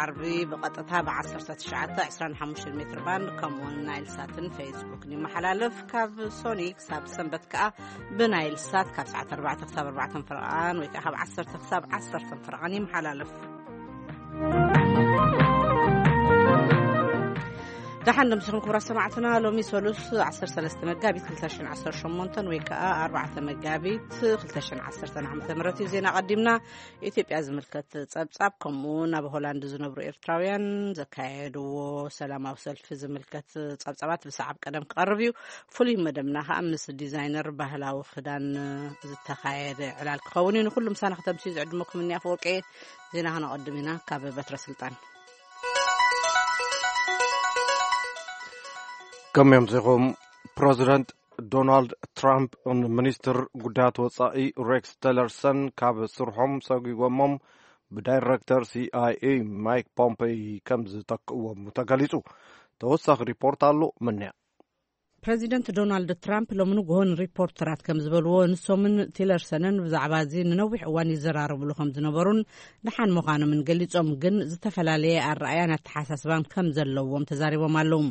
ዓርቢ ብቐጥታ ብ1925 ሜትር ባንድ፣ ከምኡውን ናይል ሳትን ፌስቡክን ይመሓላለፍ። ካብ ሶኒ ክሳብ ሰንበት ከኣ ብናይል ሳት ካብ ሰዓት ኣርባዕተ ክሳብ ኣርባዕተ ፈረቓን ወይ ከኣ ካብ ዓሰርተ ክሳብ ዓሰርተ ፈረቓን ይመሓላለፍ። ደሓን ደምሲኹም ክቡራት ሰማዕትና። ሎሚ ሰሉስ ዓሰርተ ሰለስተ መጋቢት ክልተ ሽሕን ዓሰርተ ሸሞንተን ወይ ከኣ ኣርባዕተ መጋቢት ክልተ ሽሕን ዓሰርተን ዓመተ ምህረት እዩ። ዜና ቀዲምና። ኢትዮጵያ ዝምልከት ጸብጻብ፣ ከምኡ እውን ኣብ ሆላንድ ዝነብሩ ኤርትራውያን ዘካየድዎ ሰላማዊ ሰልፊ ዝምልከት ጸብጻባት ብሰዓብ ቀደም ክቐርብ እዩ። ፍሉይ መደብና ከኣ ምስ ዲዛይነር ባህላዊ ክዳን ዝተኻየደ ዕላል ክኸውን እዩ። ንኹሉ ምሳና ክተምስዩ ዝዕድመኩም እኒ ኣፈወርቂ። ዜና ከነቐድም ኢና ካብ በትረ ስልጣን። ከመይ ኣምሲኹም? ፕረዚደንት ዶናልድ ትራምፕ ንሚኒስትር ጉዳያት ወጻኢ ሬክስ ቲለርሰን ካብ ስርሖም ሰጒጎሞም፣ ብዳይረክተር ሲኣይኤ ማይክ ፖምፔይ ከም ዝተክእዎም ተገሊጹ። ተወሳኺ ሪፖርት ኣሎ። ምንያ። ፕረዚደንት ዶናልድ ትራምፕ ሎሚ ንግሆ ንሪፖርተራት ከም ዝበልዎ፣ ንሶምን ቲለርሰንን ብዛዕባ እዚ ንነዊሕ እዋን ይዘራረብሉ ከም ዝነበሩን ደሓን ምዃኖምን ገሊጾም፣ ግን ዝተፈላለየ ኣረኣያን ኣተሓሳስባን ከም ዘለዎም ተዛሪቦም ኣለዉ።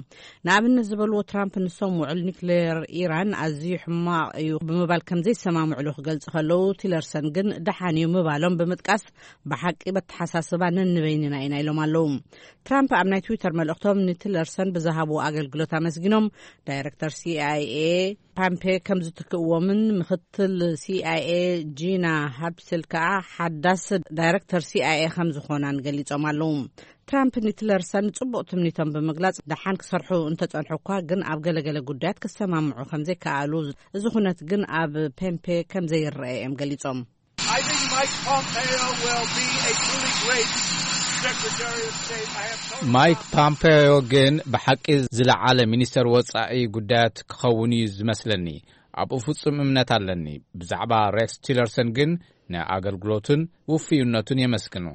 ንኣብነት ዝበልዎ፣ ትራምፕ ንሶም ውዕል ኒክሌር ኢራን ኣዝዩ ሕማቕ እዩ ብምባል ከም ዘይሰማምዕሉ ክገልጹ ከለዉ፣ ቲለርሰን ግን ደሓን እዩ ምባሎም ብምጥቃስ፣ ብሓቂ በተሓሳስባ ነንበይንና ኢና ኢሎም ኣለዉ። ትራምፕ ኣብ ናይ ትዊተር መልእኽቶም ንቲለርሰን ብዝሃብዎ ኣገልግሎት ኣመስጊኖም፣ ዳይረክተር ሲኣይኤ ፓምፔ ከም ዝትክእዎምን ምክትል ሲኣይኤ ጂና ሃብስል ከኣ ሓዳስ ዳይረክተር ሲኣይኤ ከም ዝኾናን ገሊጾም ኣለዉ። ትራምፕ ንቲለርሰን ጽቡቕ ትምኒቶም ብምግላጽ፣ ደሓን ክሰርሑ እንተጸንሑ እኳ ግን ኣብ ገለገለ ጉዳያት ክሰማምዑ ከም ዘይከኣሉ፣ እዚ ኩነት ግን ኣብ ፔምፔ ከም ዘይረአ እዮም ገሊጾም። I think Mike Pompeo will be a truly great Secretary of State. I have total ማይክ confidence. ፓምፔዮ ግን ብሓቂ ዝለዓለ ሚኒስተር ወጻኢ ጉዳያት ክኸውን እዩ ዝመስለኒ። ኣብኡ ፍጹም እምነት ኣለኒ። ብዛዕባ ሬክስ ቲለርሰን ግን ንኣገልግሎቱን ውፍይነቱን የመስግኖ።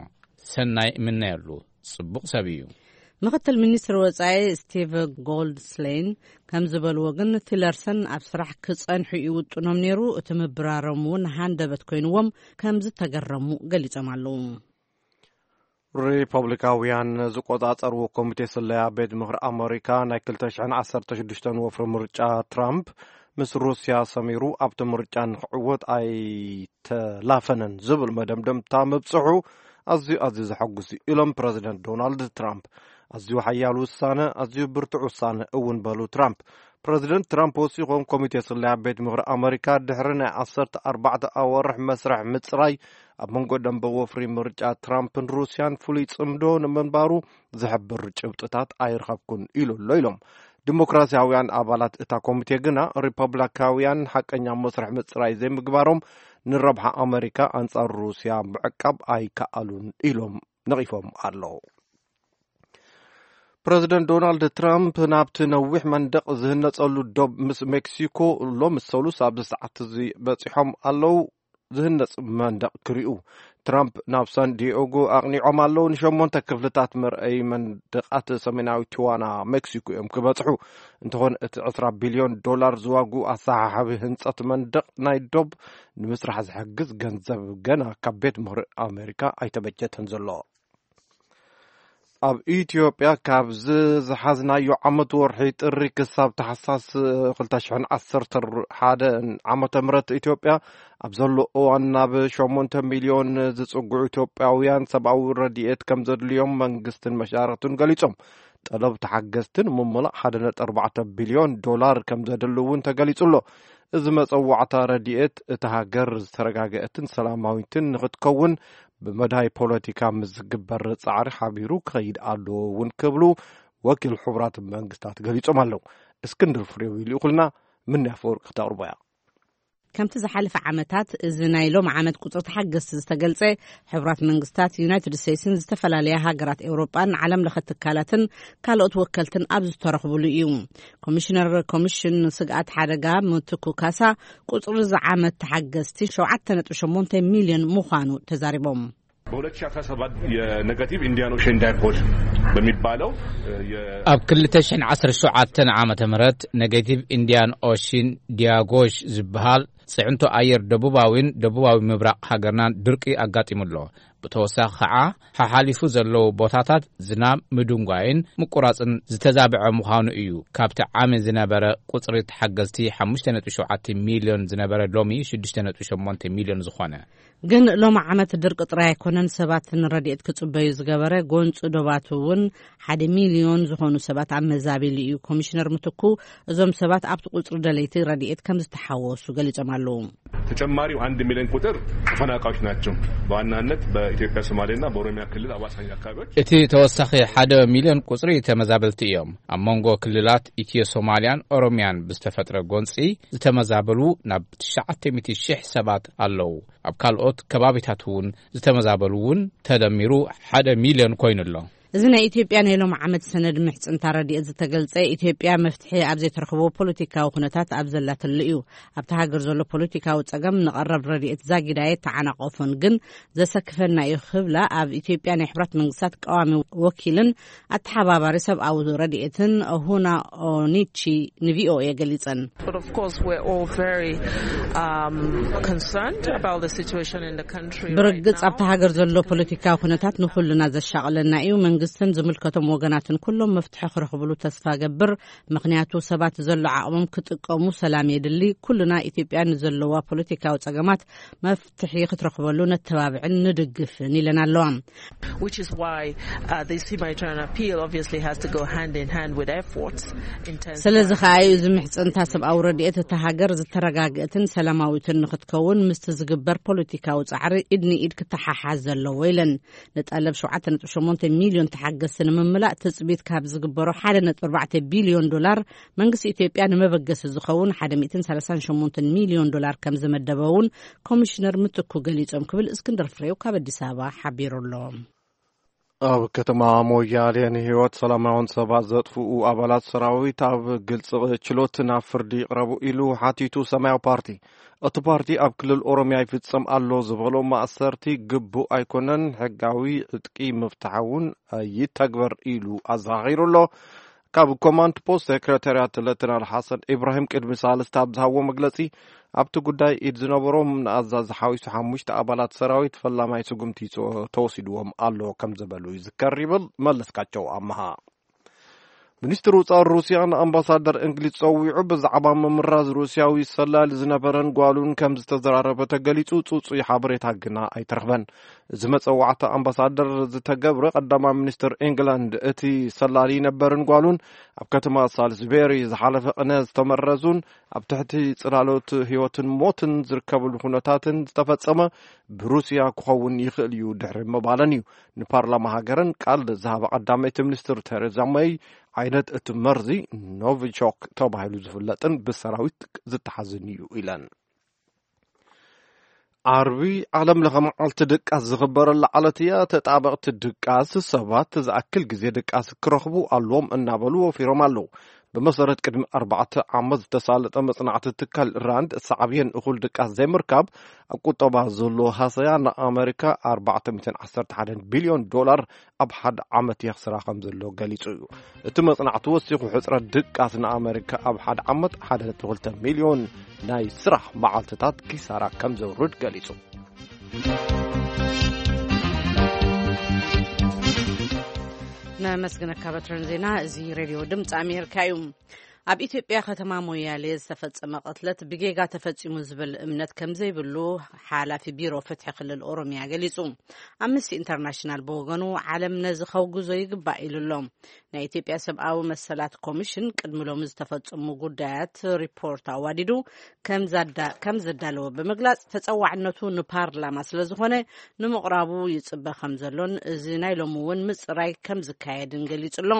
ሰናይ እምነየሉ። ጽቡቕ ሰብ እዩ። ምክትል ሚኒስትር ወጻኢ ስቲቭ ጎልድስሌን ከም ዝበልዎ ግን፣ ቲለርሰን ኣብ ስራሕ ክጸንሑ ይውጥኖም ነይሩ። እቲ ምብራሮም እውን ሃንደበት ኮይንዎም ከም ዝተገረሙ ገሊጾም ኣለዉ። ሪፐብሊካውያን ዝቆጻጸርዎ ኮሚቴ ስለያ ቤት ምኽሪ ኣመሪካ፣ ናይ ክልተ ሽሕን ዓሰርተ ሽዱሽተን ወፍሪ ምርጫ ትራምፕ ምስ ሩስያ ሰሚሩ ኣብቲ ምርጫ ንክዕወት ኣይተላፈነን ዝብል መደምደምታ ምብጽሑ ኣዝዩ፣ ኣዝዩ ዘሐጉስ እዩ ኢሎም ፕረዚደንት ዶናልድ ትራምፕ። ኣዝዩ ሓያል ውሳነ፣ ኣዝዩ ብርቱዕ ውሳነ እውን በሉ ትራምፕ። ፕረዚደንት ትራምፕ ወሲኾም፣ ኮሚቴ ስለያ ቤት ምኽሪ ኣመሪካ ድሕሪ ናይ ዓሰርተ ኣርባዕተ ኣዋርሕ መስርሕ ምጽራይ፣ ኣብ መንጎ ደንበ ወፍሪ ምርጫ ትራምፕን ሩስያን ፍሉይ ጽምዶ ንምንባሩ ዝሕብር ጭብጥታት ኣይረኸብኩን ኢሉ ኣሎ ኢሎም። ዲሞክራሲያውያን ኣባላት እታ ኮሚቴ ግና፣ ሪፐብሊካውያን ሓቀኛ መስርሕ ምጽራይ ዘይምግባሮም ንረብሓ ኣመሪካ ኣንጻር ሩስያ ምዕቃብ ኣይከኣሉን ኢሎም ነቒፎም ኣለዉ። ፕረዚደንት ዶናልድ ትራምፕ ናብቲ ነዊሕ መንደቕ ዝህነጸሉ ዶብ ምስ ሜክሲኮ ሎሚ ሰሉስ ኣብዚ ሰዓት እዚ በጺሖም ኣለዉ። ዝህነጽ መንደቕ ክሪኡ ትራምፕ ናብ ሳን ዲዮጎ ኣቕኒዖም ኣለዉ። ንሸሞንተ ክፍልታት መርኣዪ መንደቓት ሰሜናዊ ቲዋና ሜክሲኮ እዮም ክበጽሑ። እንተኾነ እቲ ዕስራ ቢልዮን ዶላር ዝዋግኡ ኣሰሓሓቢ ህንጸት መንደቕ ናይ ዶብ ንምስራሕ ዝሕግዝ ገንዘብ ገና ካብ ቤት ምኽሪ ኣሜሪካ ኣይተበጀተን ዘሎ። ኣብ ኢትዮጵያ ካብዚ ዝሓዝናዮ ዓመት ወርሒ ጥሪ ክሳብ ታሕሳስ ክልተ ሽሕን ዓሰርተ ሓደን ዓመተ ምህረት ኢትዮጵያ ኣብ ዘሎ እዋን ናብ ሸሞንተ ሚልዮን ዝጽግዑ ኢትዮጵያውያን ሰብኣዊ ረድኤት ከም ዘድልዮም መንግስትን መሻርኽቱን ገሊጾም። ጠለብ ተሓገዝቲ ንምምላእ ሓደ ነጥቢ ኣርባዕተ ቢልዮን ዶላር ከም ዘድሊ እውን ተገሊጹ ኣሎ። እዚ መጸዋዕታ ረድኤት እታ ሃገር ዝተረጋገአትን ሰላማዊትን ንኽትከውን ብመዳይ ፖለቲካ ምስ ዝግበር ጻዕሪ ሓቢሩ ክኸይድ ኣለዎ እውን ክብሉ ወኪል ሕቡራት መንግስታት ገሊጾም ኣለዉ። እስክንድር ፍሬው ይልእኹልና፣ ምንያ ኣፈወርቂ ክተቕርቦ እያ። ከምቲ ዝሓለፈ ዓመታት፣ እዚ ናይ ሎም ዓመት ቁጽሪ ተሓገዝቲ ዝተገልጸ፣ ሕቡራት መንግስታት፣ ዩናይትድ ስቴትስን ዝተፈላለያ ሃገራት ኤውሮጳን ዓለም ለኸ ትካላትን ካልኦት ወከልትን ኣብ ዝተረኽብሉ እዩ። ኮሚሽነር ኮሚሽን ስግኣት ሓደጋ ምትኩ ካሳ፣ ቁጽሪ እዚ ዓመት ተሓገዝቲ ሸውዓተ ነጥቢ ሸሞንተ ሚልዮን ምዃኑ ተዛሪቦም። በሁለት ሺህ አስራ ሰባት የኔጋቲቭ ኢንዲያን ኦሽን ዳይፖል በሚባለው የ- ኣብ ክልተ ሽሕን ዓሰርተ ሸውዓተን ዓመተ ምህረት ኔጌቲቭ ኢንዲያን ኦሽን ዲያጎሽ ዝበሃል ጽዕንቶ ኣየር ደቡባዊን ደቡባዊ ምብራቕ ሃገርናን ድርቂ ኣጋጢሙ ኣሎ። ብተወሳኺ ኸዓ፣ ሓሓሊፉ ዘለዉ ቦታታት ዝናብ ምድንጓይን ምቁራጽን ዝተዛብዐ ምዃኑ እዩ። ካብቲ ዓሚ ዝነበረ ቁጽሪ ተሓገዝቲ ሓሙሽተ ነጥቢ ሸውዓተ ሚልዮን ዝነበረ፣ ሎሚ ሽዱሽተ ነጥቢ ሸሞንተ ሚልዮን ዝኾነ። ግን ሎም ዓመት ድርቂ ጥራይ ኣይኮነን ሰባት ንረድኤት ክጽበዩ ዝገበረ፣ ጎንጺ ዶባት እውን ሓደ ሚልዮን ዝኾኑ ሰባት ኣመዛቢሉ እዩ። ኮሚሽነር ምትኩ እዞም ሰባት ኣብቲ ቁጽሪ ደለይቲ ረድኤት ከም ዝተሓወሱ ገሊጾም ኣለዉ። ተጨማሪው አንድ ሚሊዮን ቁጥር ተፈናቃዮች ናቸው። በዋናነት በኢትዮጵያ ሶማሌና በኦሮሚያ ክልል አዋሳኝ አካባቢዎች። እቲ ተወሳኺ ሓደ ሚልዮን ቁጽሪ ተመዛበልቲ እዮም። ኣብ መንጎ ክልላት ኢትዮ ሶማልያን ኦሮሚያን ብዝተፈጥረ ጎንጺ ዝተመዛበሉ ናብ ትሽዓተ ሚእቲ ሺሕ ሰባት ኣለዉ። ኣብ ካልኦት ከባቢታት እውን ዝተመዛበሉ እውን ተደሚሩ ሓደ ሚልዮን ኮይኑ ኣሎ። እዚ ናይ ኢትዮጵያ ናይ ሎም ዓመት ሰነድ ምሕጽንታ ረድኤት ዝተገልጸ፣ ኢትዮጵያ መፍትሒ ኣብ ዘይትረኽቦ ፖለቲካዊ ኩነታት ኣብ ዘላትሉ እዩ። ኣብቲ ሃገር ዘሎ ፖለቲካዊ ጸገም ንቐረብ ረድኤት ዛጊዳ የተዓናቐፎን፣ ግን ዘሰክፈና እዩ ክብላ ኣብ ኢትዮጵያ ናይ ሕብራት መንግስታት ቀዋሚ ወኪልን ኣተሓባባሪ ሰብኣዊ ረድኤትን ሁና ኦኒቺ ንቪኦኤ ገሊጸን። But of course, we're all very um, concerned about the situation in the country. ብርግጽ ኣብቲ ሃገር ዘሎ ፖለቲካዊ ኩነታት ንኹልና ዘሻቕለና እዩ። መንግስትን ዝምልከቶም ወገናትን ኩሎም መፍትሒ ክረኽብሉ ተስፋ ገብር፣ ምኽንያቱ ሰባት ዘሎ ዓቕሞም ክጥቀሙ ሰላም የድሊ። ኩልና ኢትዮጵያ ንዘለዋ ፖለቲካዊ ጸገማት መፍትሒ ክትረኽበሉ ነተባብዕን ንድግፍን ኢለን ኣለዋ። Which is why uh, this humanitarian appeal obviously has to go hand in hand with efforts. Intense ስለዚ ከኣ እዩ እዚ ምሕጽንታ ሰብኣዊ ረድኤት እታ ሃገር ዝተረጋግእትን ሰላማዊትን ንክትከውን ምስቲ ዝግበር ፖለቲካዊ ጻዕሪ ኢድ ንኢድ ክተሓሓዝ ዘለዎ ኢለን። ንጠለብ ሸውዓተ ነጥቢ ሸሞንተ ሚልዮን ተሓገዝቲ ንምምላእ ትጽቢት ካብ ዝግበሮ ሓደ ነጥቢ ኣርባዕተ ቢልዮን ዶላር መንግስቲ ኢትዮጵያ ንመበገሲ ዝኸውን ሓደ ሚእትን ሰላሳን ሸሞንተን ሚልዮን ዶላር ከም ዝመደበ እውን ኮሚሽነር ምትኩ ገሊጾም ክብል እስክንድር ፍሬው ካብ ኣዲስ ኣበባ ሓቢሩ ኣሎ። ኣብ ከተማ ሞያሌ ንህይወት ሰላማውን ሰባት ዘጥፍኡ ኣባላት ሰራዊት ኣብ ግልጽ ችሎት ናብ ፍርዲ ይቕረቡ ኢሉ ሓቲቱ ሰማያዊ ፓርቲ። እቲ ፓርቲ ኣብ ክልል ኦሮሚያ ይፍጸም ኣሎ ዝበሎ ማእሰርቲ ግቡእ ኣይኮነን፣ ሕጋዊ ዕጥቂ ምፍታሕ እውን ይተግበር ኢሉ ኣዘኻኺሩ ኣሎ። ካብ ኮማንድ ፖስት ሴክሬታርያት ሌተናል ሓሰን ኢብራሂም ቅድሚ ሳልስቲ ኣብ ዝሃቦ መግለጺ፣ ኣብቲ ጉዳይ ኢድ ዝነበሮም ንኣዛዚ ሓዊሱ ሓሙሽተ ኣባላት ሰራዊት ፈላማይ ስጉምቲ ይጽ-፣ ተወሲድዎም ኣሎ ከም ዝበሉ ይዝከር ይብል መለስካቸው ኣመሃ። ሚኒስትር ውጻእ ሩስያ ንኣምባሳደር እንግሊዝ ጸዊዑ ብዛዕባ ምምራዝ ሩስያዊ ሰላሊ ዝነበረን ጓሉን ከም ዝተዘራረበ ተገሊጹ፣ ጽጹይ ሓበሬታ ግና ኣይተረኽበን። እዚ መጸዋዕታ ኣምባሳደር ዝተገብረ ቀዳማይ ሚኒስትር ኢንግላንድ እቲ ሰላሊ ነበርን ጓሉን ኣብ ከተማ ሳልስቤሪ ዝሓለፈ ቅነ ዝተመረዙን ኣብ ትሕቲ ጽላሎት ህይወትን ሞትን ዝርከብሉ ኩነታትን ዝተፈጸመ ብሩስያ ክኸውን ይኽእል እዩ ድሕሪ ምባለን እዩ። ንፓርላማ ሃገረን ቃል ዝሃባ ቀዳመይቲ ሚኒስትር ቴሬዛ መይ ዓይነት እቲ መርዚ ኖቪቾክ ተባሂሉ ዝፍለጥን ብሰራዊት ዝተሓዝን እዩ ኢለን። ዓርቢ ዓለም ለኸ መዓልቲ ድቃስ ዝኽበረላ ዕለት እያ። ተጣበቕቲ ድቃስ ሰባት ዝኣክል ግዜ ድቃስ ክረኽቡ ኣለዎም እናበሉ ወፊሮም ኣለዉ። ብመሰረት ቅድሚ ኣርባዕተ ዓመት ዝተሳለጠ መጽናዕቲ ትካል ራንድ፣ ሳዕብየን እኹል ድቃስ ዘይምርካብ ኣብ ቁጠባ ዘሎ ሃሰያ ንኣመሪካ ኣርባዕተ ሚእትን ዓሰርተ ሓደን ቢልዮን ዶላር ኣብ ሓደ ዓመት የኽስራ ከም ዘሎ ገሊጹ እዩ። እቲ መጽናዕቲ ወሲኹ፣ ሕጽረት ድቃስ ንኣመሪካ ኣብ ሓደ ዓመት ሓደ ነጥቢ ክልተ ሚልዮን ናይ ስራሕ መዓልትታት ኪሳራ ከም ዘውርድ ገሊጹ። ነመስግነካ በትረን ዜና። እዚ ሬድዮ ድምፂ ኣሜሪካ እዩ። ኣብ ኢትዮጵያ ከተማ ሞያሌ ዝተፈጸመ ቅትለት ብጌጋ ተፈጺሙ ዝብል እምነት ከም ዘይብሉ ሓላፊ ቢሮ ፍትሒ ክልል ኦሮሚያ ገሊጹ። ኣምነስቲ ኢንተርናሽናል ብወገኑ ዓለም ነዚ ከውግዞ ይግባእ ኢሉ ኣሎ። ናይ ኢትዮጵያ ሰብኣዊ መሰላት ኮሚሽን ቅድሚ ሎሚ ዝተፈጸሙ ጉዳያት ሪፖርት ኣዋዲዱ ከም ዛዳ-፣ ከም ዘዳለወ ብምግላጽ፣ ተጸዋዕነቱ ንፓርላማ ስለ ዝኾነ ንምቕራቡ ይጽበ ከም ዘሎን እዚ ናይ ሎሚ እውን ምጽራይ ከም ዝካየድን ገሊጹ ኣሎ።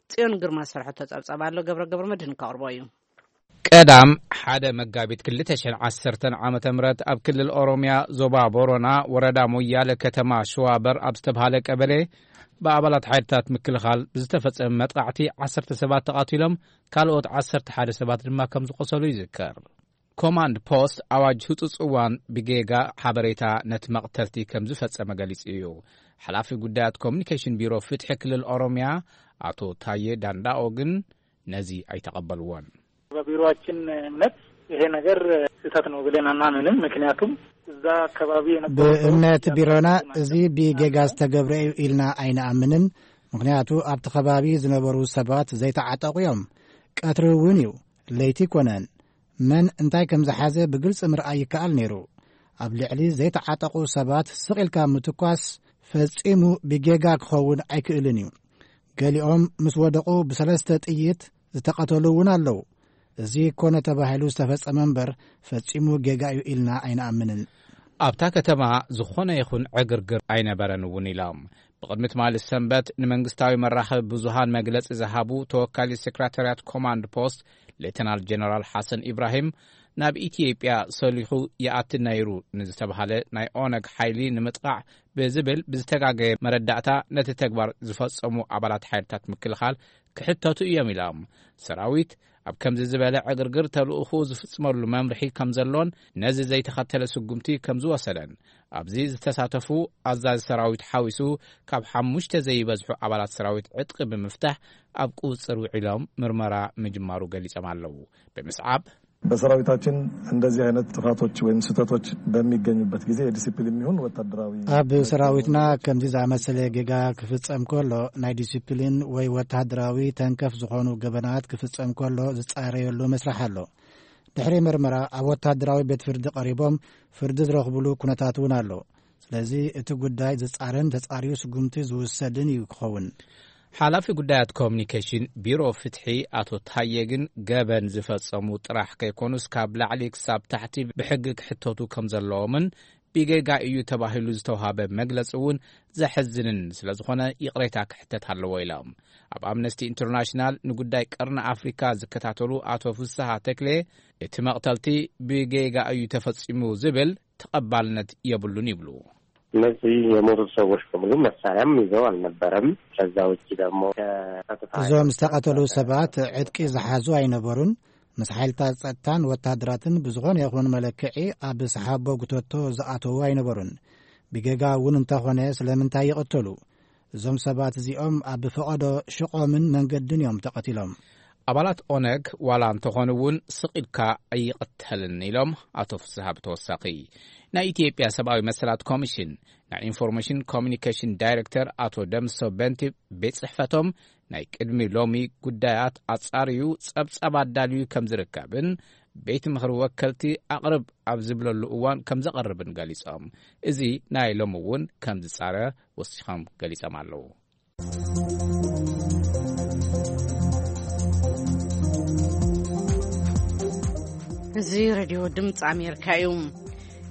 ጽዮን ግርማ ዝሰርሐቶ ጸብጻብ ኣሎ፣ ገብረ ገብረ መድህን ከቕርቦ እዩ። ቀዳም ሓደ መጋቢት ክልተ ሽሕን ዓሰርተን ዓመተ ምህረት ኣብ ክልል ኦሮሚያ ዞባ ቦሮና ወረዳ ሞያለ ከተማ ሸዋበር ኣብ ዝተብሃለ ቀበሌ ብኣባላት ሓይልታት ምክልኻል ብዝተፈጸመ መጥቃዕቲ ዓሰርተ ሰባት ተቓቲሎም፣ ካልኦት ዓሰርተ ሓደ ሰባት ድማ ከም ዝቖሰሉ ይዝከር። ኮማንድ ፖስት ኣዋጅ ህጹጽ እዋን ብጌጋ ሓበሬታ ነቲ መቕተልቲ ከም ዝፈጸመ ገሊጹ እዩ። ሓላፊ ጉዳያት ኮሚኒኬሽን ቢሮ ፍትሒ ክልል ኦሮሚያ ኣቶ ታዬ ዳንዳኦ ግን ነዚ ኣይተቐበልዎን። በቢሮአችን እምነት ይሄ ነገር ስህተት ነው ብለን አናምንም። ምክንያቱም እዛ አካባቢ የነበሩ ሰዎች ብእምነት ቢሮና እዚ ብጌጋ ዝተገብረ እዩ ኢልና ኣይንኣምንን። ምክንያቱ ኣብቲ ከባቢ ዝነበሩ ሰባት ዘይተዓጠቑ እዮም። ቀትሪ እውን እዩ፣ ለይቲ ኣይኮነን። መን እንታይ ከም ዝሓዘ ብግልጺ ምርኣይ ይከኣል ነይሩ። ኣብ ልዕሊ ዘይተዓጠቑ ሰባት ስቕ ኢልካ ምትኳስ ፈጺሙ ብጌጋ ክኸውን ኣይክእልን እዩ። ገሊኦም ምስ ወደቑ ብሰለስተ ጥይት ዝተቐተሉ እውን ኣለዉ። እዚ ኮነ ተባሂሉ ዝተፈጸመ እምበር ፈጺሙ ጌጋ እዩ ኢልና ኣይንኣምንን። ኣብታ ከተማ ዝኾነ ይኹን ዕግርግር ኣይነበረን እውን ኢሎም። ብቕድሚ ትማሊ ሰንበት ንመንግስታዊ መራኸቢ ብዙሃን መግለጺ ዝሃቡ ተወካሊ ሴክራታርያት ኮማንድ ፖስት ሌተናል ጀነራል ሓሰን ኢብራሂም፣ ናብ ኢትዮጵያ ሰሊኹ ይኣቲ ነይሩ ንዝተባሃለ ናይ ኦነግ ሓይሊ ንምጥቓዕ ብዝብል ብዝተጋገየ መረዳእታ ነቲ ተግባር ዝፈጸሙ ኣባላት ሓይልታት ምክልኻል ክሕተቱ እዮም ኢሎም። ሰራዊት ኣብ ከምዚ ዝበለ ዕግርግር ተልእኹ ዝፍጽመሉ መምርሒ ከም ዘሎን ነዚ ዘይተኸተለ ስጉምቲ ከም ዝወሰደን፣ ኣብዚ ዝተሳተፉ ኣዛዚ ሰራዊት ሓዊሱ ካብ ሓሙሽተ ዘይበዝሑ ኣባላት ሰራዊት ዕጥቂ ብምፍታሕ ኣብ ቁጽጽር ውዒሎም ምርመራ ምጅማሩ ገሊጾም ኣለዉ። ብምስዓብ በሰራዊታችን እንደዚህ አይነት ጥፋቶች ወይም ስህተቶች በሚገኙበት ጊዜ የዲሲፕሊን የሚሆን ወታደራዊ ኣብ ሰራዊትና ከምዚ ዝኣመሰለ ጌጋ ክፍጸም ከሎ፣ ናይ ዲሲፕሊን ወይ ወተሃደራዊ ተንከፍ ዝኾኑ ገበናት ክፍጸም ከሎ ዝጻረየሉ መስርሕ ኣሎ። ድሕሪ ምርመራ ኣብ ወተሃደራዊ ቤት ፍርዲ ቀሪቦም ፍርዲ ዝረኽብሉ ኩነታት እውን ኣሎ። ስለዚ እቲ ጉዳይ ዝጻረን ተጻርዩ ስጉምቲ ዝውሰድን እዩ ክኸውን። ሓላፊ ጉዳያት ኮሚኒኬሽን ቢሮ ፍትሒ ኣቶ ታየ ግን ገበን ዝፈጸሙ ጥራሕ ከይኮኑስ ካብ ላዕሊ ክሳብ ታሕቲ ብሕጊ ክሕተቱ ከም ዘለዎምን ብጌጋ እዩ ተባሂሉ ዝተዋሃበ መግለጺ እውን ዘሕዝንን ስለ ዝኾነ ይቕሬታ ክሕተት ኣለዎ ኢሎም። ኣብ ኣምነስቲ ኢንተርናሽናል ንጉዳይ ቀርኒ ኣፍሪካ ዝከታተሉ ኣቶ ፍስሃ ተክሌ እቲ መቕተልቲ ብጌጋ እዩ ተፈጺሙ ዝብል ተቐባልነት የብሉን ይብሉ። እነዚህ የሞቱት ሰዎች በሙሉ መሳሪያም ይዘው አልነበረም። ከዛ ውጭ ደግሞ ከጸጥታ እዞም ዝተቐተሉ ሰባት ዕጥቂ ዝሓዙ ኣይነበሩን። ምስ ሓይልታት ጸጥታን ወታደራትን ብዝኾነ ይኹን መለክዒ ኣብ ሰሓቦ ጉተቶ ዝኣተዉ ኣይነበሩን። ብጌጋ እውን እንተኾነ ስለምንታይ ይቕተሉ? እዞም ሰባት እዚኦም ኣብ ፈቐዶ ሽቖምን መንገድን እዮም ተቐቲሎም። ኣባላት ኦነግ ዋላ እንተኾኑ እውን ስቕ ኢልካ ኣይቕተልን ኢሎም ኣቶ ፍስሃ ብተወሳኺ። ናይ ኢትዮጵያ ሰብኣዊ መሰላት ኮሚሽን ናይ ኢንፎርሜሽን ኮሚኒኬሽን ዳይሬክተር ኣቶ ደምሶ በንቲ ቤት ጽሕፈቶም ናይ ቅድሚ ሎሚ ጉዳያት ኣጻርዩ ጸብጻብ ኣዳልዩ ከም ዝርከብን ቤት ምኽሪ ወከልቲ ኣቕርብ ኣብ ዝብለሉ እዋን ከም ዘቐርብን ገሊጾም። እዚ ናይ ሎሚ እውን ከም ዝጻረ ወሲኾም ገሊጾም ኣለዉ። እዚ ሬድዮ ድምፂ ኣሜሪካ እዩ።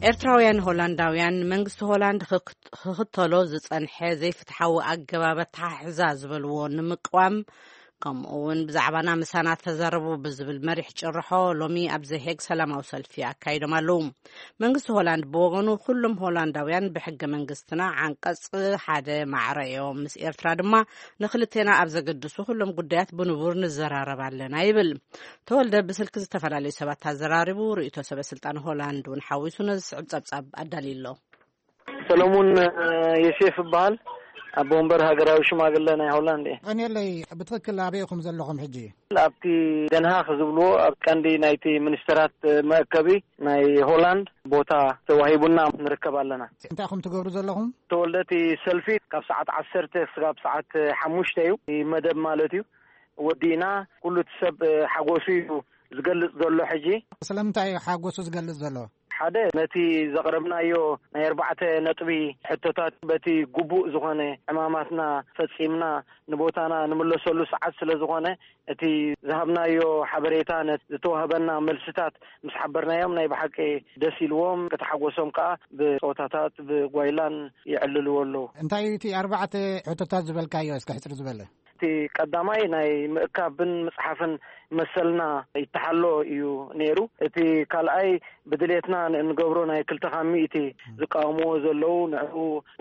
ኤርትራውያን ሆላንዳውያን መንግስቲ ሆላንድ ክክ- ክኽተሎ ዝጸንሐ ዘይፍትሓዊ ኣገባብ ኣተሓሕዛ ዝበልዎ ንምቅዋም፣ ከምኡ እውን ብዛዕባና ምሳና ተዛረቡ ብዝብል መሪሕ ጭርሖ ሎሚ ኣብ ዘሄግ ሰላማዊ ሰልፊ ኣካይዶም ኣለዉ። መንግስቲ ሆላንድ ብወገኑ፣ ኩሎም ሆላንዳውያን ብሕገ መንግስትና ዓንቀጽ ሓደ ማዕረ እዮም። ምስ ኤርትራ ድማ ንክልቴና ኣብ ዘገድሱ ኩሎም ጉዳያት ብንቡር ንዘራረብ ኣለና ይብል። ተወልደ ብስልኪ ዝተፈላለዩ ሰባት ኣዘራሪቡ፣ ርእይቶ ሰበ ስልጣን ሆላንድ እውን ሓዊሱ ነዚ ዝስዕብ ጸብጻብ ኣዳልዩ ኣሎ። ሰለሙን ዮሴፍ እበሃል። ኣቦ ወንበር ሃገራዊ ሽማግለ ናይ ሆላንድ እየ። ቀንየለይ፣ ብትኽክል ኣበይ ኢኹም ዘለኹም ሕጂ? ኣብቲ ደንሃክ ዝብልዎ ኣብ ቀንዲ ናይቲ ሚኒስተራት መእከቢ ናይ ሆላንድ ቦታ ተዋሂቡና ንርከብ ኣለና። እንታይ ኢኹም ትገብሩ ዘለኹም? ተወልደ፣ እቲ ሰልፊ ካብ ሰዓት ዓሰርተ ክሳብ ሰዓት ሓሙሽተ እዩ፣ መደብ ማለት እዩ። ወዲእና ኩሉ እቲ ሰብ ሓጎሱ እዩ ዝገልጽ ዘሎ። ሕጂ ስለምንታይ እዩ ሓጎሱ ዝገልጽ ዘሎ? ሓደ፣ ነቲ ዘቕረብናዮ ናይ ኣርባዕተ ነጥቢ ሕቶታት በቲ ግቡእ ዝኾነ ዕማማትና ፈጺምና ንቦታና ንምለሰሉ ሰዓት ስለ ዝኾነ፣ እቲ ዝሃብናዮ ሓበሬታ፣ ነቲ ዝተዋህበና መልስታት ምስ ሓበርናዮም፣ ናይ ብሓቂ ደስ ኢልዎም፣ ከተሓጎሶም ከኣ ብጸወታታት፣ ብጓይላን የዕልልዎ ኣለዉ። እንታይ እዩ እቲ ኣርባዕተ ሕቶታት ዝበልካዮ? እስከ ሕጽር ዝበለ። እቲ ቀዳማይ ናይ ምእካብን ምጽሓፍን መሰልና ይተሓሎ እዩ ነይሩ። እቲ ካልኣይ ብድሌትና ን-፣ እንገብሮ ናይ ክልተ ካብ ሚእቲ ዝቃወምዎ ዘለዉ ንዕኡ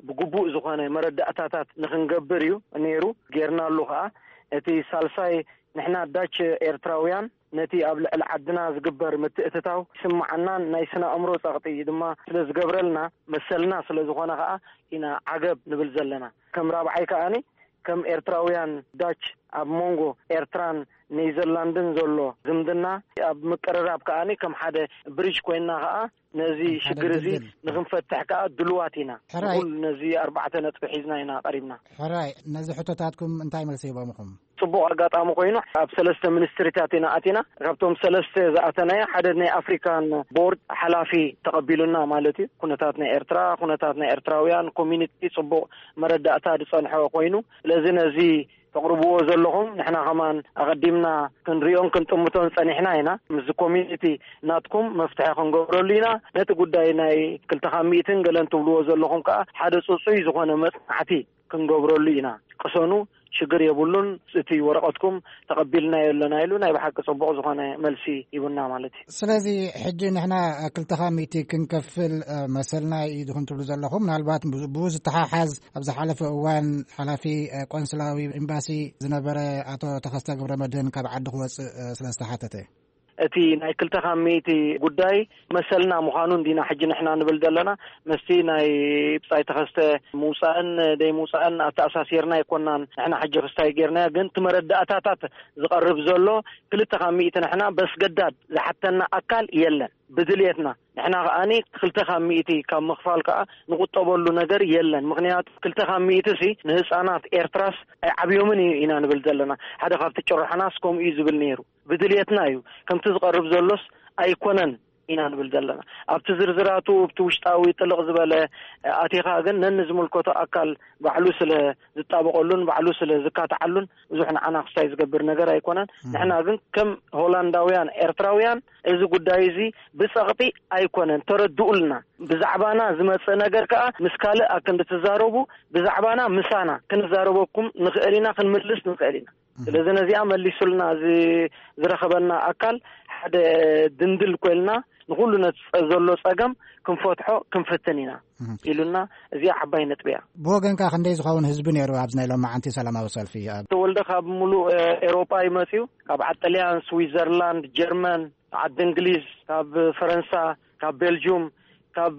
ብግቡእ ዝኾነ መረዳእታታት ንኽንገብር እዩ ነይሩ። ጌርናሉ ኸኣ። እቲ ሳልሳይ ንሕና ዳች ኤርትራውያን ነቲ ኣብ ልዕሊ ዓድና ዝግበር ምትእትታው ይስምዓናን ናይ ስነ ኣእምሮ ጸቕጢ ድማ ስለ ዝገብረልና መሰልና ስለ ዝኾነ ኸኣ ኢና ዓገብ ንብል ዘለና። ከም ራብዓይ ከኣኒ ከም ኤርትራውያን ዳች ኣብ መንጎ ኤርትራን ኔዘርላንድን ዘሎ ዝምድና ኣብ ምቅርራብ ከኣ ከም ሓደ ብሪጅ ኮይና ከኣ ነዚ ሽግር እዚ ንክንፈትሕ ከኣ ድልዋት ኢና። ሕራይ። ንኩሉ ነዚ ኣርባዕተ ነጥቢ ሒዝና ኢና ቀሪብና። ሕራይ፣ ነዚ ሕቶታትኩም እንታይ መልሲ ሂቦምኹም? ጽቡቕ ኣጋጣሚ ኮይኑ ኣብ ሰለስተ ሚኒስትሪታት ኢና ኣቲና። ካብቶም ሰለስተ ዝኣተናዮ ሓደ ናይ ኣፍሪካን ቦርድ ሓላፊ ተቐቢሉና ማለት እዩ። ኩነታት ናይ ኤርትራ፣ ኩነታት ናይ ኤርትራውያን ኮሚኒቲ ጽቡቕ መረዳእታ ዝጸንሖ ኮይኑ፣ ስለዚ ነዚ ተቕርብዎ ዘለኹም ንሕና ከማን ኣቐዲምና ክንሪኦን ክንጥምቶን ጸኒሕና ኢና። ምስዚ ኮሚኒቲ ናትኩም መፍትሒ ክንገብረሉ ኢና። ነቲ ጉዳይ ናይ ክልተ ካብ ሚእትን ገለን ትብልዎ ዘለኹም ከኣ ሓደ ጽጹይ ዝኾነ መጽናዕቲ ክንገብረሉ ኢና። ቅሰኑ፣ ሽግር የብሉን፣ እቲ ወረቐትኩም ተቐቢልናዮ ኣለና ኢሉ ናይ ብሓቂ ጽቡቕ ዝኾነ መልሲ ሂቡና ማለት እዩ። ስለዚ ሕጂ ንሕና ክልተ ካብ ሚእቲ ክንከፍል መሰልና እዩ ድኹም ትብሉ ዘለኹም? ምናልባት ብኡ ዝተሓሓዝ ኣብ ዝሓለፈ እዋን ሓላፊ ቆንስላዊ ኤምባሲ ዝነበረ ኣቶ ተኸስተ ገብረ መድህን ካብ ዓዲ ክወፅእ ስለ ዝተሓተተ፣ እቲ ናይ ክልተ ካብ ሚእቲ ጉዳይ መሰልና ምዃኑ እንዲና ሕጂ ንሕና ንብል ዘለና። መስቲ ናይ ብጻይ ተኸስተ ምውጻእን ደይ ምውጻእን ኣተኣሳሲርና ኣይኮናን። ንሕና ሕጂ ክስታይ ጌርናዮ፣ ግን እቲ መረዳእታታት ዝቐርብ ዘሎ ክልተ ካብ ሚእቲ ንሕና በስገዳድ ዝሓተና ኣካል የለን። ብድልየትና ንሕና ከኣኒ ክልተ ካብ ሚእቲ ካብ ምኽፋል ከኣ ንቁጠበሉ ነገር የለን። ምኽንያቱ ክልተ ካብ ሚእቲ ሲ ንህፃናት ኤርትራስ ኣይዓብዮምን እዩ ኢና ንብል ዘለና። ሓደ ካብቲ ጭርሖናስ ከምኡ እዩ ዝብል ነይሩ። ብድልየትና እዩ። ከምቲ ዝቐርብ ዘሎስ ኣይኮነን ኢና ንብል ዘለና። ኣብቲ ዝርዝራቱ፣ ኣብቲ ውሽጣዊ ጥልቕ ዝበለ ኣቲኻ ግን ነንዝምልከቶ ኣካል ባዕሉ ስለ ዝጣበቐሉን ባዕሉ ስለ ዝካትዓሉን ብዙሕ ንዓና ክስታይ ዝገብር ነገር ኣይኮነን። ንሕና ግን ከም ሆላንዳውያን ኤርትራውያን እዚ ጉዳይ እዚ ብጸቕጢ ኣይኮነን፣ ተረድኡልና። ብዛዕባና ዝመጽእ ነገር ከኣ ምስ ካልእ ኣክንዲ ትዛረቡ፣ ብዛዕባና ምሳና ክንዛረበኩም ንኽእል ኢና፣ ክንምልስ ንኽእል ኢና። ስለዚ ነዚኣ መሊሱልና እዚ ዝረኸበና ኣካል ሓደ ድንድል ኮይልና ንኹሉ ነቲ ጸ-፣ ዘሎ ጸገም ክንፈትሖ ክንፍትን ኢና እህ። ኢሉና፣ እዚኣ ዓባይ ነጥቢ እያ። ብወገንካ ክንደይ ዝኸውን ህዝቢ ነይሩ ኣብዚ ናይ ሎማዓንቲ ሰላማዊ ሰልፊ? ኣብ ተወልደ ካብ ሙሉእ፣ እ፣ ኤውሮጳ እዩ መጺኡ። ካብ ዓዲ ጥልያን፣ ስዊዘርላንድ፣ ጀርመን፣ ዓዲ እንግሊዝ፣ ካብ ፈረንሳ፣ ካብ ቤልጁም፣ ካብ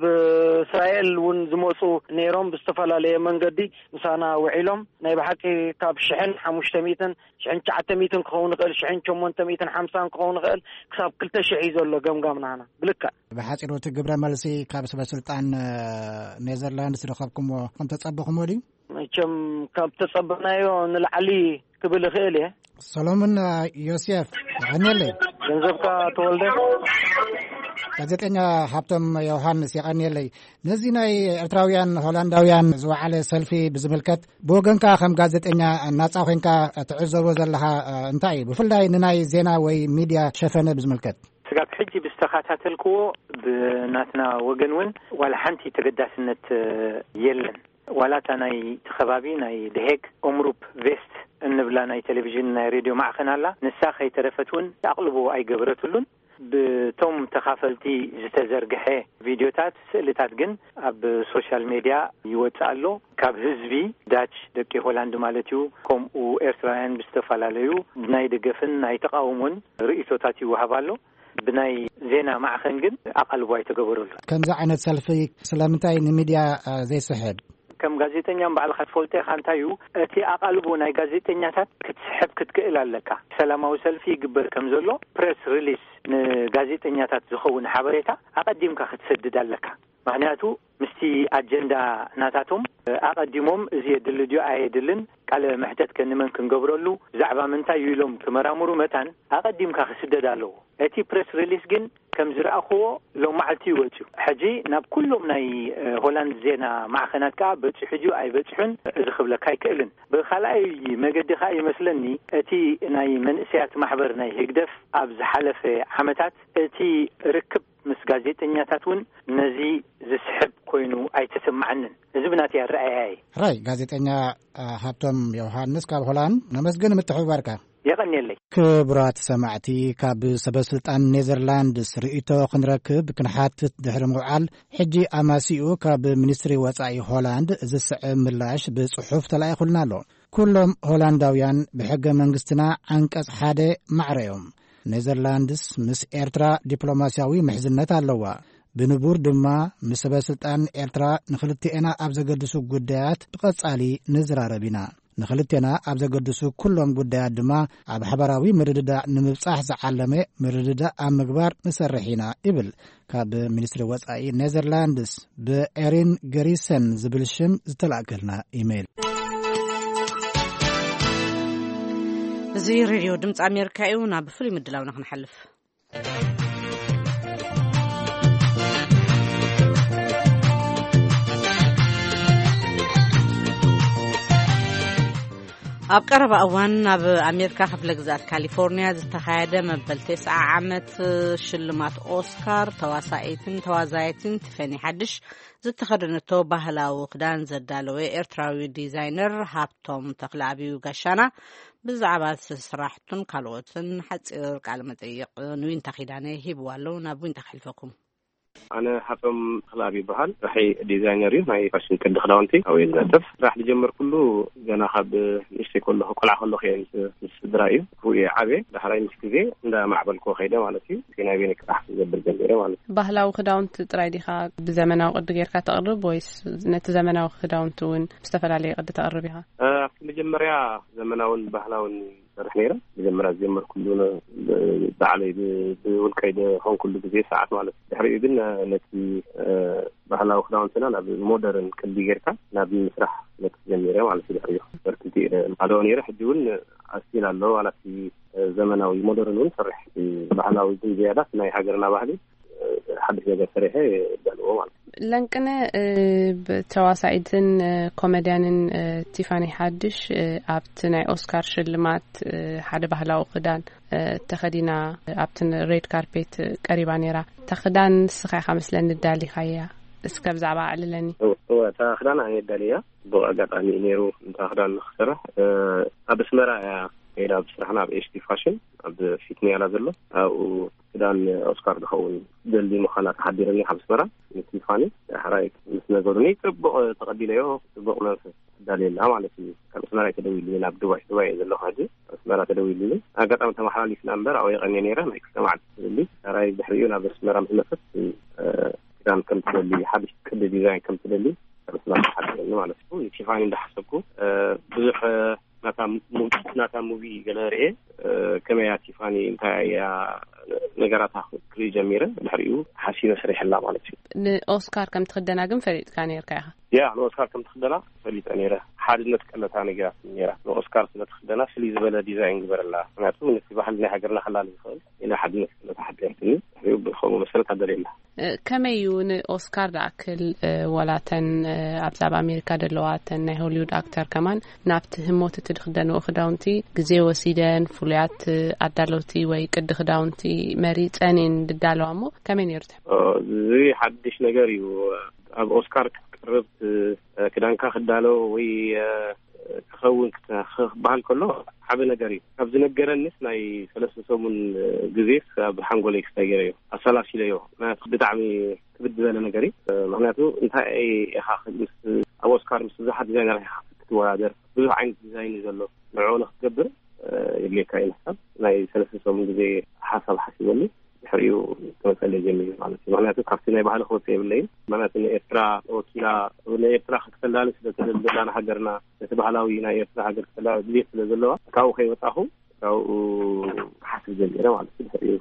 እስራኤል እውን ዝመጹ ነይሮም። ብዝተፈላለየ መንገዲ ምሳና ውዒሎም። ናይ ብሓቂ ካብ ሽሕን ሓሙሽተ ሚእትን፣ ሽሕን ትሽዓተ ሚእትን ክኸውን ይኽእል፣ ሽሕን ሸሞንተ ሚእትን ሓምሳን ክኸውን ይኽእል፣ ክሳብ ክልተ ሽሕ እዩ ዘሎ ገምጋም ናህና ብልክዕ። ብሓጺሩ እቲ ግብረ መልሲ ካብ ሰበ ስልጣን፣ እ፣ ኔዘርላንድስ ዝረኸብኩምዎ ከም ተጸበኹምዎ ድዩ? መቸም ካብ ተጸበናዮ ንላዕሊ ክብል እኽእል እየ። ሰሎሞን ዮሴፍ፣ የቐንየለይ። ገንዘብካ ተወልደ። ጋዜጠኛ ሃብቶም ዮሃንስ፣ የቐንየለይ። ነዚ ናይ ኤርትራውያን ሆላንዳውያን ዝወዓለ ሰልፊ ብዝምልከት ብወገንካ ከም ጋዜጠኛ ናጻ ኮይንካ ትዕዘቦ ዘለኻ እንታይ እዩ? ብፍላይ ንናይ ዜና ወይ ሚድያ ሸፈነ ብዝምልከት። ስጋብ ሕጂ ብዝተኸታተልክዎ ብናትና ወገን እውን ዋላ ሓንቲ ተገዳስነት የለን። ዋላ እታ ናይ እቲ ከባቢ ናይ ደሄግ ኦምሩፕ ቬስት እንብላ ናይ ቴሌቪዥን ናይ ሬድዮ ማዕኸን ኣላ። ንሳ ከይተረፈት እውን ኣቕልቦ ኣይገበረትሉን። ብቶም ተኻፈልቲ ዝተዘርግሐ ቪድዮታት፣ ስእልታት ግን ኣብ ሶሻል ሜድያ ይወጽእ ኣሎ። ካብ ህዝቢ ዳች፣ ደቂ ሆላንድ ማለት እዩ፣ ከምኡ ኤርትራውያን ብዝተፈላለዩ ናይ ደገፍን ናይ ተቓውሞን ርእይቶታት ይወሃብ ኣሎ። ብናይ ዜና ማዕኸን ግን ኣቓልቦ ኣይተገበረሉ። ከምዚ ዓይነት ሰልፊ ስለምንታይ ንሚድያ፣ እ፣ ዘይስሕብ? ከም ጋዜጠኛ ባዕልኻ ትፈልጦ ኢኻ። እንታይ እዩ እቲ ኣቓልቦ ናይ ጋዜጠኛታት ክትስሕብ ክትክእል ኣለካ። ሰላማዊ ሰልፊ ይግበር ከም ዘሎ ፕሬስ ሪሊስ ንጋዜጠኛታት ዝኸውን ሓበሬታ ኣቐዲምካ ክትሰድድ ኣለካ። ምኽንያቱ ምስቲ ኣጀንዳ ናታቶም ኣቐዲሞም እዚ የድሊ ድዩ ኣየድልን፣ ቃለ መሕተት ከ ንመን ክንገብረሉ፣ ብዛዕባ ምንታይ እዩ ኢሎም ክመራምሩ መታን ኣቐዲምካ ክስደድ ኣለዎ። እቲ ፕሬስ ሪሊስ ግን ከም ዝረኣኽዎ ሎም መዓልቲ እዩ ወፂኡ። ሕጂ ናብ ኩሎም ናይ፣ እ፣ ሆላንድ ዜና ማዕኸናት ከዓ በፂሑ ድዩ ኣይበፅሑን እዚ ክብለካ ኣይክእልን። ብኻልኣይ መገዲ ከዓ ይመስለኒ እቲ ናይ መንእሰያት ማሕበር ናይ ህግደፍ ኣብ ዝሓለፈ ዓመታት እቲ ርክብ ምስ ጋዜጠኛታት እውን ነዚ ዝስሕብ ኮይኑ ኣይተሰማዓንን። እዚ ብናተይ ኣረኣእያ እዩ። ሕራይ ጋዜጠኛ፣ እ፣ ሃብቶም ዮሃንስ ካብ ሆላንድ ነመስግን ምትሕብባርካ። የቐንየለይ። ክቡራት ሰማዕቲ፣ ካብ ሰበ ስልጣን ኔዘርላንድስ ርእይቶ ክንረክብ ክንሓትት ድሕሪ ምውዓል፣ ሕጂ ኣማሲኡ ካብ ሚኒስትሪ ወጻኢ ሆላንድ ዝስዕብ ምላሽ ብጽሑፍ ተላኢኹልና ኣሎ። ኩሎም ሆላንዳውያን ብሕገ መንግስትና ዓንቀጽ ሓደ ማዕረ እዮም። ኔዘርላንድስ ምስ ኤርትራ ዲፕሎማስያዊ ምሕዝነት ኣለዋ። ብንቡር ድማ ምስ ሰበ ስልጣን ኤርትራ ንኽልቲኤና ኣብ ዘገድሱ ጉዳያት ብቐጻሊ ንዝራረብ ኢና። ንኽልቴና ኣብ ዘገድሱ ኩሎም ጉዳያት ድማ ኣብ ሓባራዊ ምርድዳእ ንምብጻሕ ዝዓለመ ምርድዳእ ኣብ ምግባር ንሰርሕ ኢና ይብል ካብ ሚኒስትሪ ወጻኢ ኔዘርላንድስ ብኤሪን ገሪሰን ዝብል ሽም ዝተላእከልና ኢሜይል። እዚ ሬድዮ ድምፂ ኣሜሪካ እዩ። ናብ ፍሉይ ምድላውና ክንሓልፍ። ኣብ ቀረባ እዋን ኣብ ኣሜሪካ ክፍለ ግዝኣት ካሊፎርኒያ ዝተኻየደ መበል ተስዓ ዓመት ሽልማት ኦስካር ተዋሳኢትን ተዋዛይትን ቲፈኒ ሓድሽ ዝተኸደነቶ ባህላዊ ክዳን ዘዳለወ ኤርትራዊ ዲዛይነር ሃብቶም ተኽለኣብዩ ጋሻና ብዛዕባ ስራሕቱን ካልኦትን ሓፂር ቃለ መጠይቕ ንዊንታ ኪዳነ ሂብዋ ኣሎ። ናብ ዊንታ ከሕልፈኩም። ኣነ ሃብቶም ተኽለኣብ ይበሃል። ስራሐይ ዲዛይነር እዩ። ናይ ፋሽን ቅዲ ክዳውንቲ ኣብኡ እየ ዝነጥፍ። ስራሕ ዝጀመርኩሉ ገና ካብ ንእሽተይ ከለኹ፣ ቆልዓ ከለኹ እየ ምስ፣ ምስ ስድራ እዩ። ኣብኡ እየ ዓብየ። ዳሕራይ ምስ ግዜ እንዳማዕበልኩ ከይደ ማለት እዩ። እቲ ናይ ቤኒ ክራሕ ክገብር ጀሚረ ማለት እዩ። ባህላዊ ክዳውንቲ ጥራይ ዲኻ ብዘመናዊ ቅዲ ጌርካ ተቕርብ ወይስ ነቲ ዘመናዊ ክዳውንቲ እውን ብዝተፈላለየ ቅዲ ተቕርብ ኢኻ? እ፣ ኣብቲ መጀመርያ ዘመናውን ባህላውን ሰርሕ ነይረ። መጀመርያ ዝጀመርኩሉ ነ-፣ ብ-፣ ባዕለይ ብ-፣ ብውልቀይ ዝኾንኩሉ ግዜ ሰዓት ማለት እዩ። ድሕሪኡ ግን፣ እ፣ ነቲ፣ እ፣ ባህላዊ ክዳውንትና ናብ ሞደርን ቅዲ ጌርካ ናብ ምስራሕ ነቲ ጀሚረ ማለት እዩ። ድሕሪኡ በርትቲ እየ ማለኦ ነይረ። ሕጂ እውን ኣስቲል ኣሎ። ዋላ እቲ፣ እ፣ ዘመናዊ ሞደርን እውን ሰርሕ። እቲ ባህላዊ ግን ዝያዳ ናይ ሃገርና ባህሊ፣ እ፣ ሓድሽ ነገር ሰሪሐ እዳልዎ ማለት እዩ። ለንቅነ፣ እ፣ ብ-፣ ተዋሳኢትን፣ እ፣ ኮመድያንን፣ እ፣ ቲፋኒ ሓድሽ፣ እ፣ ኣብቲ ናይ ኦስካር ሽልማት፣ እ፣ ሓደ ባህላዊ ክዳን፣ እ፣ ተኸዲና፣ እ፣ ኣብቲ ሬድ ካርፔት፣ እ፣ ቀሪባ ነይራ። እታ ክዳን ንስኻ ኢኻ መስለኒ ዳሊኻያ። እስከ ብዛዕባ ኣዕልለኒ። እወ፣ እወ፣ እታ ክዳን ኣነ ዳልያ። ጽቡቕ ኣጋጣሚ እዩ ነይሩ። እታ ክዳን ንኽሰርሕ፣ እ፣ ኣብ ኣስመራ እያ ከይዳ፣ ኣብ ስራሕና ኣብ ኤች ዲ ፋሽን፣ ኣብ ፊት ንያላ ዘሎ፣ ኣብኡ ክዳን ኦስካር ዝኸውን ደሊ ምዃና ተሓቢረኒ ካብ ኣስመራ፣ ንቲፋኒ ዳሕራይ ምስ ነገሩኒ፣ ጽቡቕ ተቐቢለዮ፣ ጽቡቕ መንፈስ ኣዳልየላ ማለት እዩ። ካብ ኣስመራ እዩ ተደዊሉኒ፣ ናብ ዱባይ፣ ዱባይ እየ ዘለኹ ሕጂ። ኣስመራ ተደዊሉኒ። ኣጋጣሚ ተመሓላሊፍና እምበር፣ ኣብኡ የቐንየ ነይረ፣ ናይ ክልተ መዓልቲ ትደሊ። ዳሕራይ ድሕሪኡ ናብ ኣስመራ ምስ መጸት፣ እ፣ ክዳን ከም ትደሊ፣ ሓድሽ ቅዲ ዲዛይን ከም ትደሊ፣ ካብ ኣስመራ ተሓቢረኒ ማለት እዩ። ንቲፋኒ እንዳሓሰብኩ፣ እ፣ ብዙሕ፣ እ፣ ናታ ሙ-፣ ናታ ሙቪ ገለ ርኤ፣ እ፣ ከመይ እያ ቲፋኒ፣ እንታይ እያ ነገራታ ክርኢ ጀሚረ። ድሕሪኡ ሓሲበ ሰሪሐላ ማለት እዩ። ንኦስካር ከም ትኽደና ግን ፈሊጥካ ነይርካ ኢኻ? ያ፣ ንኦስካር ከም ትኽደና ፈሊጠ ነይረ። ሓድነት ቀለታ ነጊራትኒ ነይራ። ንኦስካር ስለ ትኽደና ፍልይ ዝበለ ዲዛይን ግበረላ። ምክንያቱ ነቲ ባህሊ ናይ ሃገርና ከላሊ ዝኽእል ኢላ ሓድነት ቀለታ ሓቢረትኒ። ድሕሪኡ ብኸምኡ መሰረት ኣዳልየላ። እ፣ ከመይ እዩ ንኦስካር ዝኣክል፣ እ፣ ወላተን፣ እ፣ ኣብዛ ኣብ ኣሜሪካ ዘለዋ ተን ናይ ሆሊውድ ኣክተር ከማን ናብቲ ህሞት እቲ ዝኽደንኦ ክዳውንቲ ግዜ ወሲደን ፍሉያት፣ እ፣ ኣዳለውቲ ወይ ቅዲ ክዳውንቲ መሪጸን እየን ዝዳለዋ እሞ ከመይ ነይሩ ትሕ-? ኦ፣ እዚ ሓድሽ ነገር እዩ። ኣብ ኦስካር ክትቀርብ፣ እ፣ ክዳንካ ክዳሎ ወይ፣ እ፣ ክኸውን ክተ-፣ ክበሃል ከሎ ዓቢ ነገር እዩ። ካብ ዝነገረንስ ናይ ሰለስተ ሰሙን ግዜስ ኣብ ሓንጎለይ ክሳይ ገይረዮ፣ ኣሰላሲለዮ። ምክንያቱ ብጣዕሚ ክብድ ዝበለ ነገር እዩ። ምክንያቱ እንታይ ኢኻ ምስ፣ ኣብ ኦስካር ምስ ብዙሓት ዲዛይነር ኢኻ ክትወዳደር፣ ብዙሕ ዓይነት ዲዛይን እዩ ዘሎ። ንዕኡ ንክትገብር የድልየካ እዩ። ንሕሳብ ናይ ሰለስተ ሰሙን ግዜ ሓሳብ ሓሲበሉ። ድሕሪኡ ክመፀለይ ጀሚሩ ማለት እዩ። ምክንያቱ ካብቲ ናይ ባህሊ ክወፅእ የብለይን። ምክንያቱ ንኤርትራ ወኪላ፣ ንኤርትራ ክትፈላሊ ስለ ትደሊ ዘላ ንሃገርና፣ ነቲ ባህላዊ ናይ ኤርትራ ሃገር ክትፈላሊ ድልየት ስለ ዘለዋ፣ ካብኡ ከይወፃኹ ካብኡ ክሓስብ ጀሚረ ማለት እዩ። ድሕሪኡ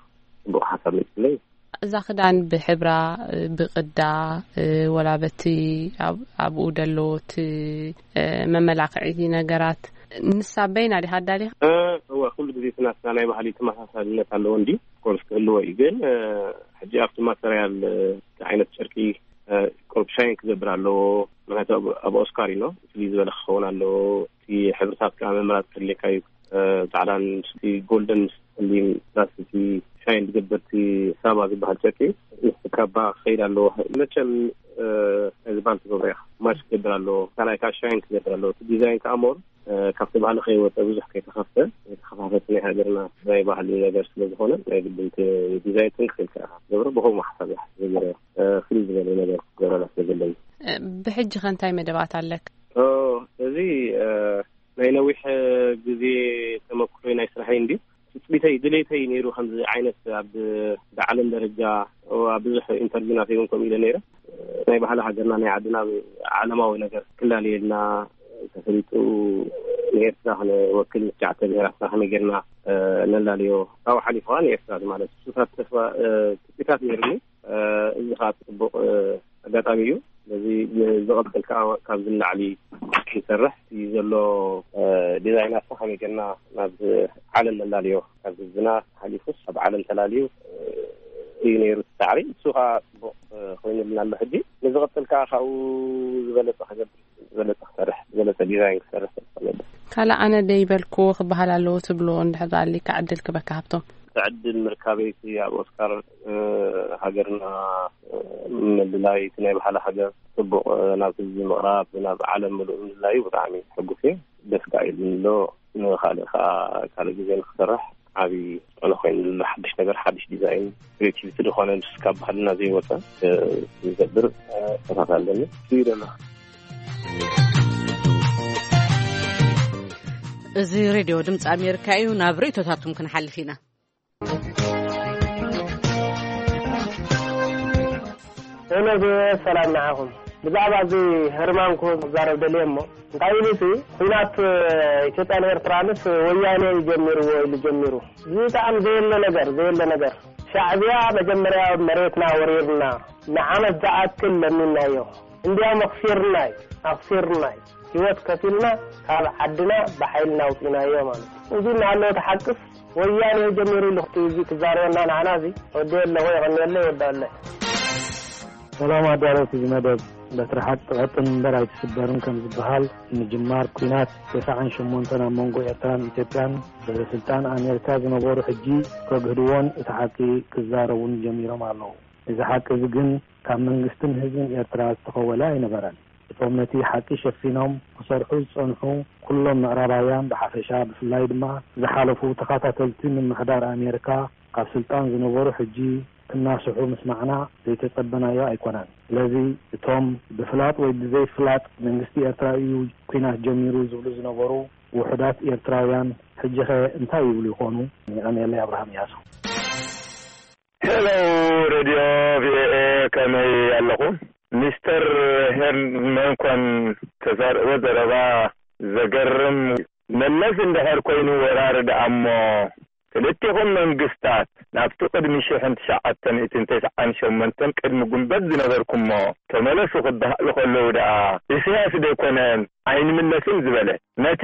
ፅቡቕ ሓሳብ መፅለይ። እዛ ክዳን ብሕብራ፣ ብቕዳ፣ ወላ በቲ ኣብ-፣ ኣብኡ ደሎ እቲ መመላኽዒ ነገራት ንሳ በይና ዲኻ ኣዳሊኻ? እ፣ እወ፣ ኩሉ ግዜ እቲ ናትና ናይ ባህሊ ተመሳሳልነት ኣለዎ እንዲ፣ ኮርስ ክህልዎ እዩ። ግን፣ እ፣ ሕጂ ኣብቲ ማተርያል፣ እ፣ ዓይነት ጨርቂ፣ እ፣ ቁሩብ ሻይን ክገብር ኣለዎ። ምክንያቱ ኣብ፣ ኣብ ኦስካር እዩ፣ ፍልይ ዝበለ ክኸውን ኣለዎ። እቲ ሕብርታት ከዓ ምምራፅ ከድልየካ እዩ። እ፣ ፃዕዳን ምስቲ ጎልደን ምስ ጸሊም ፕላስ እቲ ሻይን ዝገብር እቲ ሳባ ዝበሃል ጨርቂ ምስ ካባ ክኸይድ ኣለዎ። መቸም፣ እ፣ ናይ ዝበሃል ትገብሮ ኢኻ። ማች ክገብር ኣለዎ። ካልኣይ ከዓ ሻይን ክገብር ኣለዎ። እቲ ዲዛይን ከዓ ሞር፣ እ፣ ካብቲ ባህሊ ከይወፀ ብዙሕ ከይተኸፍተ፣ ከይተኸፋፈተ ናይ ሃገርና ናይ ባህሊ ነገር ስለ ዝኾነ ናይ ግድን እቲ ዲዛይን ጥንቅቕ ኢልካ ኢኻ ትገብሮ። ብኸምኡ ሓሳብ እየ ሓሲበ ገይረ፣ እ፣ ፍልይ ዝበለ ነገር ክገብረላ ስለ ዘለኒ። እ፣ ብሕጂ ኸ እንታይ መደባት ኣለክ? ኦ፣ እዚ፣ እ፣ ናይ ነዊሕ ግዜ ተመክሮይ ናይ ስራሐይ እንድዩ። ትጽቢተይ፣ ድሌተይ ነይሩ ከምዚ ዓይነት ኣብ ብዓለም ደረጃ ኣብ ብዙሕ ኢንተርቪውናት እውን ከምኡ ኢለ ነይረ። ናይ ባህሊ ሃገርና ናይ ዓድና ዓለማዊ ነገር ክላለየልና ተፈሊጡ ንኤርትራ ክነወክል ምስ ትሽዓተ ብሄራትና ከመይ ጌርና ነላልዮ ካብኡ ሓሊፉ ከዓ ንኤርትራ ማለት እዩ። እሱታት ተስፋ ትፅቢታት ነይርኒ። እዚ ከዓ ፅቡቕ ኣጋጣሚ እዩ። ስለዚ ንዝቐፅል ከዓ ካብዚ ንላዕሊ ክንሰርሕ እዩ ዘሎ። ዲዛይናት ከመይ ጌርና ናብ ዓለም ነላልዮ፣ ካብ ህዝብና ሓሊፉስ ኣብ ዓለም ተላልዩ እዩ ነይሩ እቲ ፃዕሪ። እሱ ከዓ ፅቡቕ ኮይኑልና ኣሎ። ሕጂ ንዝቐፅል ከዓ ካብኡ ዝበለፀ ክገብር፣ ዝበለፀ ክሰርሕ፣ ዝበለፀ ዲዛይን ክሰርሕ ተስፋ ኣለኒ። ካልእ ኣነ ደይበልኩ ክበሃል ኣለዎ ትብሎ እንድሕር ኣሊካ ዕድል ክበካ ሃብቶም። ዕድል ምርካበይቲ ኣብ ኦስካር ሃገርና ምልላይ፣ እቲ ናይ ባህሊ ሃገር ፅቡቅ ናብ ህዝቢ ምቕራብ፣ ናብ ዓለም ምሉእ ምልላዩ ብጣዕሚ ሕጉስ እየ። ደስ ከዓ ኢሉኒ ኣሎ። ንካልእ ከዓ ካልእ ግዜ ንክሰርሕ ዓብዪ ተፅዕኖ ኮይኑ ዘሎ ሓድሽ ነገር፣ ሓድሽ ዲዛይን፣ ክሬቲቪቲ ዝኾነ ምስ ካብ ባህልና ዘይወፀ ዝገብር ተሳትፎ ኣለኒ። እዩ ደሎ። እዚ ሬድዮ ድምፂ ኣሜሪካ እዩ። ናብ ርእይቶታትኩም ክንሓልፍ ኢና። ሄሎ፣ ሰላም ንዓኹም። ብዛዕባ እዚ ህርማንኩ ክዛረብ ደልየ እሞ፣ እንታይ ኢሉ እቲ ኲናት ኢትዮጵያን ኤርትራንስ ወያኔ እዩ ጀሚርዎ ኢሉ ጀሚሩ። እዚ ብጣዕሚ ዘየለ ነገር፣ ዘየለ ነገር። ሻዕብያ መጀመርያ መሬትና ወሪርና ንዓመት ዝኣክል ለሚናዮ። እንዲያውም ኣኽሲርና እዩ፣ ኣኽሲርና እዩ። ህይወት ከፊልና ካብ ዓድና ብሓይልና ኣውፂናዮ ማለት እዩ። እዚ እናሃለወ ተሓቅስ ወያኔ ጀሚሩ ኢሉ ክት-፣ እዚ ክዛረበና ንዓና እዚ ወዲ ኣለኹ የቐንየለይ ወዲ ኣለ። ሰላም ኣዳለውቲ እዚ መደብ። በትሪ ሓቂ ትቐጥን እምበር ኣይትስበርን ከም ዝበሃል፣ ምጅማር ኲናት ተስዓን ሸሞንተን ኣብ መንጎ ኤርትራን ኢትዮጵያን፣ ሰበ ስልጣን ኣሜሪካ ዝነበሩ ሕጂ ከግህድዎን እቲ ሓቂ ክዛረቡን ጀሚሮም ኣለዉ። እዚ ሓቂ እዚ ግን ካብ መንግስትን ህዝብን ኤርትራ ዝተኸወለ ኣይነበረን። እቶም ነቲ ሓቂ ሸፊኖም ክሰርሑ ዝጸንሑ ኩሎም ምዕራባውያን ብሓፈሻ፣ ብፍላይ ድማ ዝሓለፉ ተኸታተልቲ ምምሕዳር ኣሜሪካ ካብ ስልጣን ዝነበሩ ሕጂ ክናስሑ ምስማዕና ዘይተጸበናዮ ኣይኮነን። ስለዚ እቶም ብፍላጥ ወይ ብዘይፍላጥ መንግስቲ ኤርትራ እዩ ኲናት ጀሚሩ ዝብሉ ዝነበሩ ውሑዳት ኤርትራውያን ሕጂኸ እንታይ ይብሉ ይኾኑ? የቐንየለይ። ኣብርሃም እያሱ። ሄሎ ሬድዮ ቪኦኤ ከመይ ኣለኹም? ሚስተር ሄርመንኮን ተዛርቦ ዘረባ ዘገርም። መለስ እንድሕር ኮይኑ ወራሪ ደኣ እሞ ክልቲኹም መንግስታት ናብቲ ቅድሚ ሽሕን ትሽዓተ ሚእትን ተስዓን ሸሞንተን ቅድሚ ጉንበት ዝነበርኩሞ ተመለሱ ክበሃሉ ከለዉ ደኣ ኢሳያስ ደይኮነን ኣይንምለስን ዝበለ? ነቲ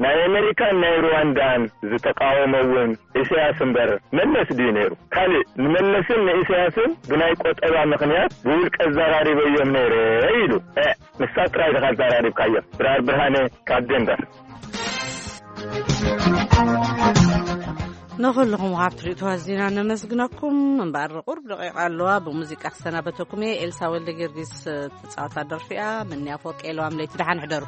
ናይ ኣመሪካን ናይ ሩዋንዳን ዝተቃወመ እውን ኢሳያስ እምበር መለስ ድዩ ነይሩ? ካልእ ንመለስን ንኢሳያስን ብናይ ቆጠባ ምኽንያት ብውልቀ ኣዘራሪበዮም ነይረ ኢሉ። እ፣ ንሳ ጥራይ ዲኻ ኣዘራሪብካዮም? ድራር ብርሃነ ካብ ዴንቨር። ንኹልኹም ወሃብቲ ርእይቶ ኣዚና ነመስግነኩም። እምበኣር ቁሩብ ደቂቃ ኣለዋ፣ ብሙዚቃ ክሰናበተኩም እየ። ኤልሳ ወልደ ጊዮርጊስ ትጻወታ ደርፊ እያ። ምንያ ፎቅ የለዋም ለይቲ ደሓን ሕደሩ።